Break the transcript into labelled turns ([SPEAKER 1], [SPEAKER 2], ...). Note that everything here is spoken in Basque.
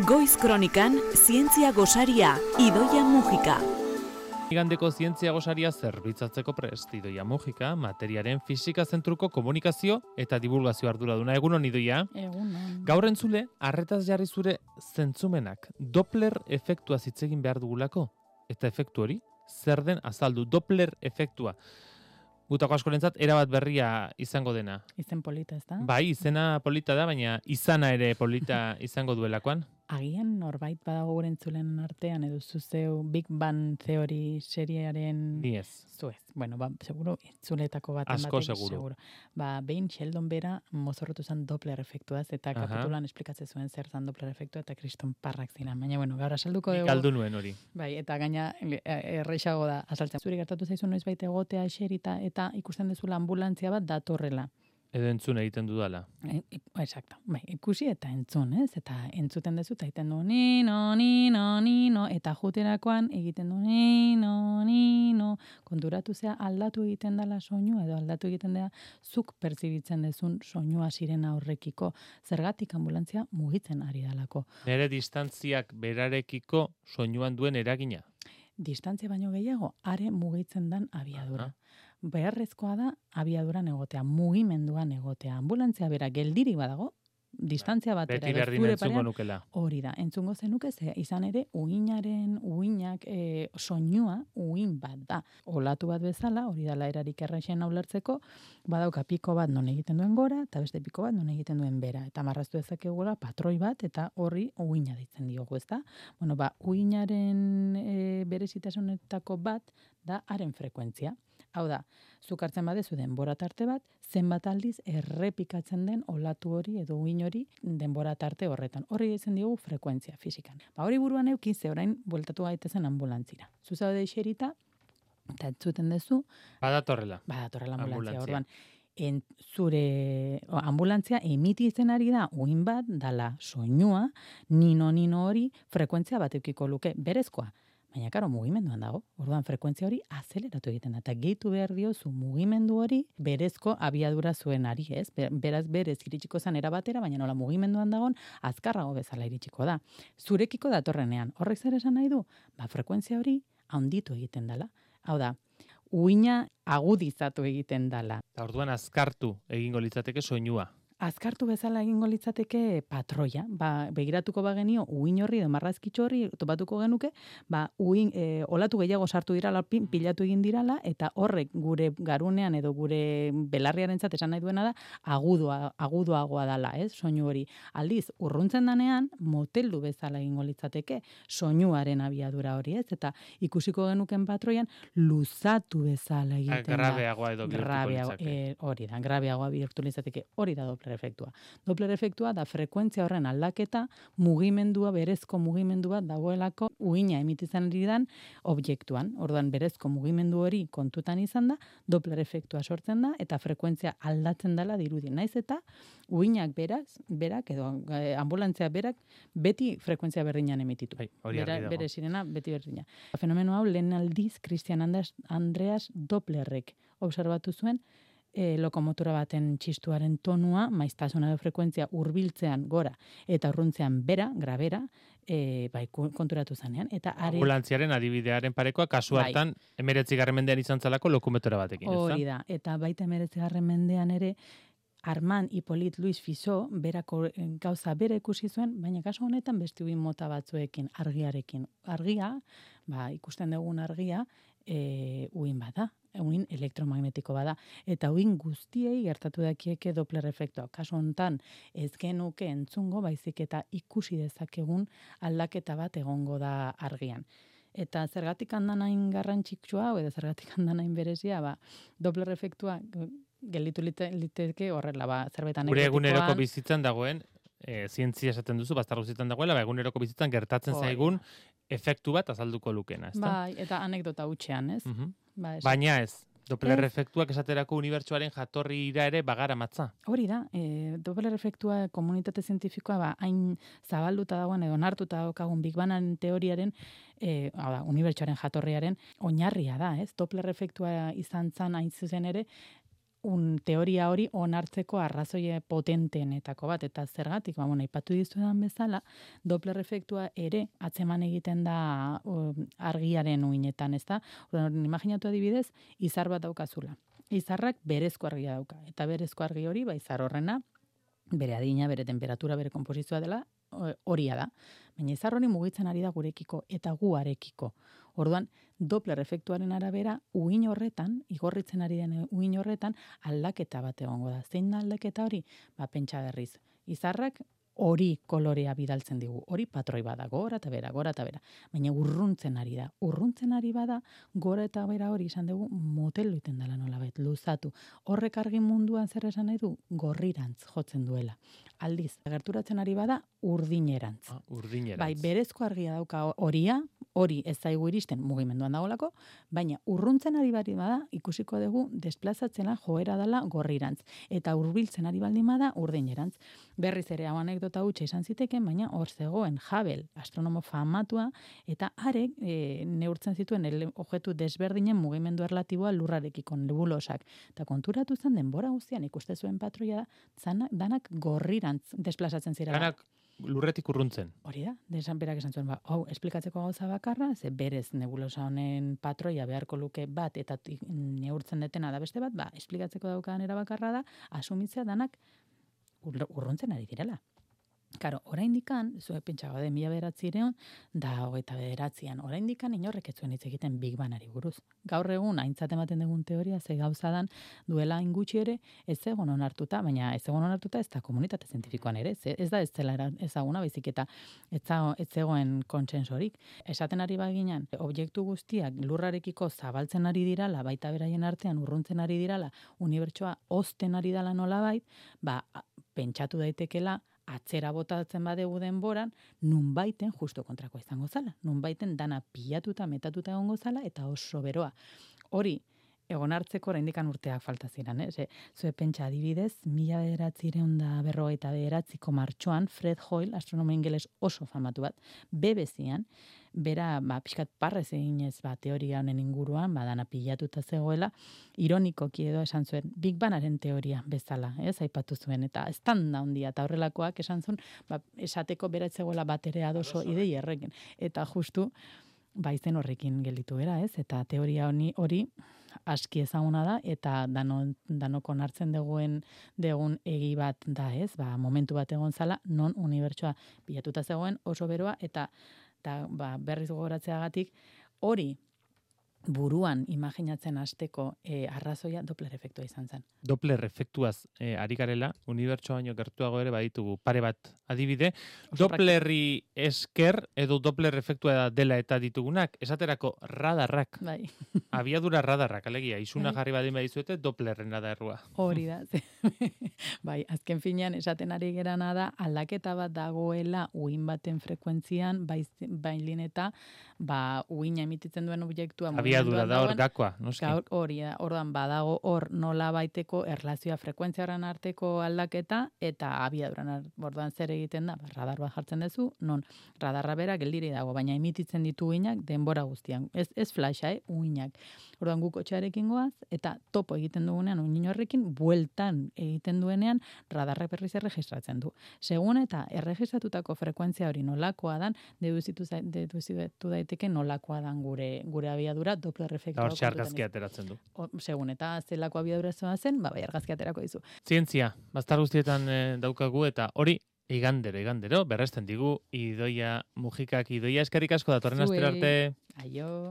[SPEAKER 1] Goiz Kronikan, zientzia gosaria, Idoia Mujika.
[SPEAKER 2] Igandeko zientzia gosaria zerbitzatzeko prest, Idoia Mujika, materiaren fisika zentruko komunikazio eta divulgazio arduraduna. Egunon, Idoia?
[SPEAKER 3] Egunon.
[SPEAKER 2] Gaur entzule, arretaz jarri zure zentzumenak, Doppler efektua hitz egin behar dugulako. Eta efektu hori, zer den azaldu, Doppler efektua. Gutako askorentzat erabat berria izango dena.
[SPEAKER 3] Izen polita, ez da?
[SPEAKER 2] Bai, izena polita da, baina izana ere polita izango duelakoan.
[SPEAKER 3] Agian norbait badago gure entzulen artean, edo zuzeu Big Bang Theory seriearen...
[SPEAKER 2] Ni ez.
[SPEAKER 3] Zuez. Bueno, seguro, entzuletako baten
[SPEAKER 2] Asko
[SPEAKER 3] batek,
[SPEAKER 2] seguro.
[SPEAKER 3] Behin Sheldon bera mozorrotu zen Doppler efektuaz, eta kapitulan esplikatzen zuen zer zen Doppler efektua, eta kriston parrak ziren. Baina, bueno, gaur asalduko dugu...
[SPEAKER 2] Galdu nuen hori.
[SPEAKER 3] Bai, eta gaina erreixago da azaltzen. Zuri gertatu zaizu noiz baita egotea eserita, eta ikusten dezula ambulantzia bat datorrela.
[SPEAKER 2] Edo entzun egiten dudala.
[SPEAKER 3] Exacto. Bai, ikusi eta entzun, ez? Eta entzuten dezu, eta egiten du nino, eta juterakoan egiten du nino. Konturatu zea aldatu egiten dela soinua, edo aldatu egiten dela zuk pertzibitzen dezun soinua sirena horrekiko. Zergatik ambulantzia mugitzen ari dalako.
[SPEAKER 2] Nere distantziak berarekiko soinuan duen eragina.
[SPEAKER 3] Distantzia baino gehiago, are mugitzen dan abiadura. Beharrezkoa da abiaduran egotea, mugimenduan egotea. Ambulantzia bera geldirik badago, distantzia batera.
[SPEAKER 2] Beti berdin entzungo nukela.
[SPEAKER 3] Hori da, entzungo zenuke, izan ere, uinak soinua, uin bat da. Olatu bat bezala, hori da erarik erraixen ulertzeko, badauka piko bat non egiten duen gora, eta beste piko bat non egiten duen bera. Eta marraztu dezakegula patroi bat, eta horri uina ditzen diogu, ezta? Bueno, uinaren berezitasunetako bat da haren frekuentzia. Hau da, zuk hartzen badezu denbora tarte bat, zenbat aldiz errepikatzen den olatu hori edo uin hori denbora tarte horretan. Horri ditzen diogu frekuentzia fizikan. Hori buruan eukin ze orain bueltatu gaitezen ambulantzira. Zuzaude iserita, eta entzuten dezu...
[SPEAKER 2] Badatorrela
[SPEAKER 3] ambulantzia. Orduan, zure ambulantzia emititzen ari da uin bat, dala soinua, nino hori frekuentzia bat eukiko luke, berezkoa. Baina, karo, mugimenduan dago. Orduan, frekuentzia hori azeleratu egiten da. Eta gehitu behar diozu mugimendu hori berezko abiadura zuen ari, ez? Beraz, berez iritsiko zen erabatera, baina nola mugimenduan dagoen, azkarrago bezala iritsiko da. Zurekiko datorrenean. Horrek zer esan nahi du? Frekuentzia hori handitu egiten dela. Hau da, uina agudizatu egiten dela.
[SPEAKER 2] Orduan, azkartu egingo litzateke soinua.
[SPEAKER 3] Azkartu bezala egingo litzateke patroia. Begiratuko bagenio uin horri edo marrazkitxo horri topatuko genuke, olatu gehiago sartu dirala, pilatu egin dirala, eta horrek gure garunean edo gure belarriarentzat esan nahi duena da, agudoagoa dala, ez? Soinu hori. Aldiz, urruntzen danean, moteldu bezala egingo litzateke soinuaren abiadura hori, ez? Eta ikusiko genuken patroian, luzatu bezala egiten da.
[SPEAKER 2] Grabeagoa edo bihurtuko litzake.
[SPEAKER 3] Hori da, grabeagoa bihurtu litzateke. Hori da Doppler efektua. Doppler efektua da frekuentzia horren aldaketa, mugimendua, berezko mugimendu bat dagoelako uina emititzen ari dan objektuan. Orduan berezko mugimendu hori kontutan izan da, Doppler efektua sortzen da, eta frekuentzia aldatzen dela dirudi. Naiz eta uinak berak edo ambulantzia berak beti frekuentzia berdinan emititu. Bere sirena beti berdina. Fenomeno hau lehen aldiz Christian Andreas Dopplerrek observatu zuen, lokomotora baten txistuaren tonua, maiztasuna edo frekuentzia hurbiltzean gora eta urruntzean grabera, konturatu zanean.
[SPEAKER 2] Ambulantziaren adibidearen parekoa, kasu hartan, 19. mendean izan zalako lokomotora batekin.
[SPEAKER 3] Hori da, eta baita 19. mendean ere, Armand Hippolyte Louis Fizeau berako gauza bera ikusi zuen, baina kasu honetan beste uin mota batzuekin, argiarekin. Argia, ikusten dugun argia, uin bada, uin elektromagnetiko bada, eta uin guztiei gertatu dakieke Doppler efektua. Kasu honetan ez genuke entzungo, baizik eta ikusi dezakegun aldaketa bat egongo da argian. Eta zergatik handan hain garrantzitsua, edo zergatik handan hain berezia, Doppler efektua gelditu liteke horrela, zerbait anekdotikoa.
[SPEAKER 2] Gure eguneroko bizitzan dagoen, zientzia esaten duzu, bastar bizitzan dagoela, eguneroko bizitzan gertatzen zaigun efektu bat azalduko lukena, ezta?
[SPEAKER 3] Eta anekdota hutxean, ez?
[SPEAKER 2] Baina ez, Doppler efektuak esaterako unibertsuaren jatorrira ere bagara matza.
[SPEAKER 3] Hori da, Doppler efektua komunitate zientifikoa hain zabalduta dagoen edo onartuta daukagun Big Bang teoriaren, unibertsuaren jatorriaren oinarria da, ez? Doppler efektua izan zan hain zuzen ere, teoria hori onartzeko arrazoie potentenetako bat, eta zergatik, aipatu dizuedan bezala, Doppler efektua ere atzeman egiten da argiaren uinetan, ez da? Imaginatu adibidez, izar bat daukazula. Izarrak berezko argia dauka, eta berezko argi hori, izar horrena, bere adina, bere temperatura, bere konposizioa dela, horia da. Baina izar hori mugitzen ari da gurekiko eta guarekiko. Orduan, Doppler efektuaren arabera, uin horretan, igorritzen ari den uin horretan, aldaketa bat egongo da. Zein da aldaketa hori? Pentsa berriz. Izarrak hori kolorea bidaltzen digu. Hori patroi bada, gora eta bera. Baina urruntzen ari da. Urruntzen ari bada, gora eta bera hori izan dugu motel duiten dela nolabait, luzatu. Horrek argi munduan zer esan nahi du? Gorrirantz jotzen duela. Aldiz, gerturatzen ari bada urdinerantz.
[SPEAKER 2] Urdinerantz.
[SPEAKER 3] Berezko argia dauka horia, hori ez zaigu iristen mugimenduan dagoelako, baina urruntzen ari bada ikusiko dugu desplazatzena joera dela gorrirantz. Eta hurbiltzen ari baldin bada urdinerantz. Berriz ere hau anekdota hutsa izan ziteken, baina hor zegoen Hubble, astronomo famatua, eta arek neurtzen zituen objektu desberdinen mugimendu erlatiboa lurrarekiko, nebulosak. Eta konturatu zen denbora guztian ikuste zuen patroia danak gorrirantz desplazatzen zirela.
[SPEAKER 2] Danak lurretik urruntzen.
[SPEAKER 3] Hori da, berak esan zuen, hau, esplikatzeko gauza bakarra, ze berez nebulosa honen patroia beharko luke bat, eta neurtzen detena da beste bat, esplikatzeko daukadan erabakarra da, asumitzea danak urruntzen ari direla. Karo, oraindikan, zuek pentsa gaude 1900 da 29an, oraindikan inorrek ez zuen hitz egiten Big Bangari buruz. Gaur egun aintzat ematen dugun teoria ze gauza dan duela ingutxi ere ez egon onartuta, baina ez egon onartuta ez da komunitate zientifikoan ere, ez da ez zela ezaguna, baizik eta ez zegoen kontsensorik. Esaten ari baginan, objektu guztiak lurrarekiko zabaltzen ari dirala, baita beraien artean urruntzen ari dirala, unibertsoa hozten ari dela nolabait, pentsatu daitekela atzera botatzen badegu denboran, nunbaiten justo kontrakoa izango zala. Nunbaiten dana pilatuta, metatuta egongo zala, eta oso beroa. Hori, egon hartzeko oraindikan urteak falta ziren, Zue pentsa adibidez, 1959ko martxoan, Fred Hoyle, astronomo ingeles oso famatu bat, BBC-an, bera, pixkat parrez eginez, teoria honen inguruan, dana pilatuta zegoela, ironikoki edo esan zuen, Big Bangaren teoria bezala, aipatu zuen, eta estanda hondia, eta horrelakoak esan zuen, esateko bera ez zegoela bat ere adoso idei errekin, eta justu, izen horrekin gelditu bera, eta teoria hori aski ezaguna da, eta danok onartzen degun egi bat da, momentu bat egon zala, non unibertsoa pilatuta zegoen oso beroa, eta berriz gogoratzeagatik hori buruan imaginatzen hasteko arrazoia Doppler efektua izan zen.
[SPEAKER 2] Doppler efektuaz ari garela, unibertsoa baino gertuago ere baditugu pare bat adibide. Dopplerri esker edo Doppler efektua dela eta ditugunak, esaterako radarrak.
[SPEAKER 3] Bai.
[SPEAKER 2] Abiadura radarrak, alegia, izuna jarri badin badizuete Dopplerrena da errua.
[SPEAKER 3] Hori da. Azken finean esaten ari gerana da aldaketa bat dagoela uhin baten frekuentzian, bailin eta uina emititzen duen objektua
[SPEAKER 2] abiadura da hor gakoa, noski.
[SPEAKER 3] Hori da, orduan badago hor nola baiteko erlazioa frekuentzia horren arteko aldaketa eta abiaduran orduan zer egiten da, radar bat jartzen duzu, non radarra bera geldiri dago, baina emititzen ditu uinak denbora guztian. Ez flasha, uinak. Orduan guk kotxearekin goaz, eta topo egiten dugunean uin horrekin, bueltan egiten duenean radarrak berriz erregistratzen du. Segun eta erregistratutako frekuentzia hori nolakoa dan, deduzitu daiteke nolakoa dan gure abiadura Doppler efektua.
[SPEAKER 2] Hortxe argazkia ateratzen du.
[SPEAKER 3] Segun eta zelako abiadura zen, argazkia aterako dizu.
[SPEAKER 2] Zientzia, baztar guztietan daukagu eta hori igandero, berresten digu, Idoia Mujikak. Idoia, eskerrik asko datorren astera arte.
[SPEAKER 3] Aio.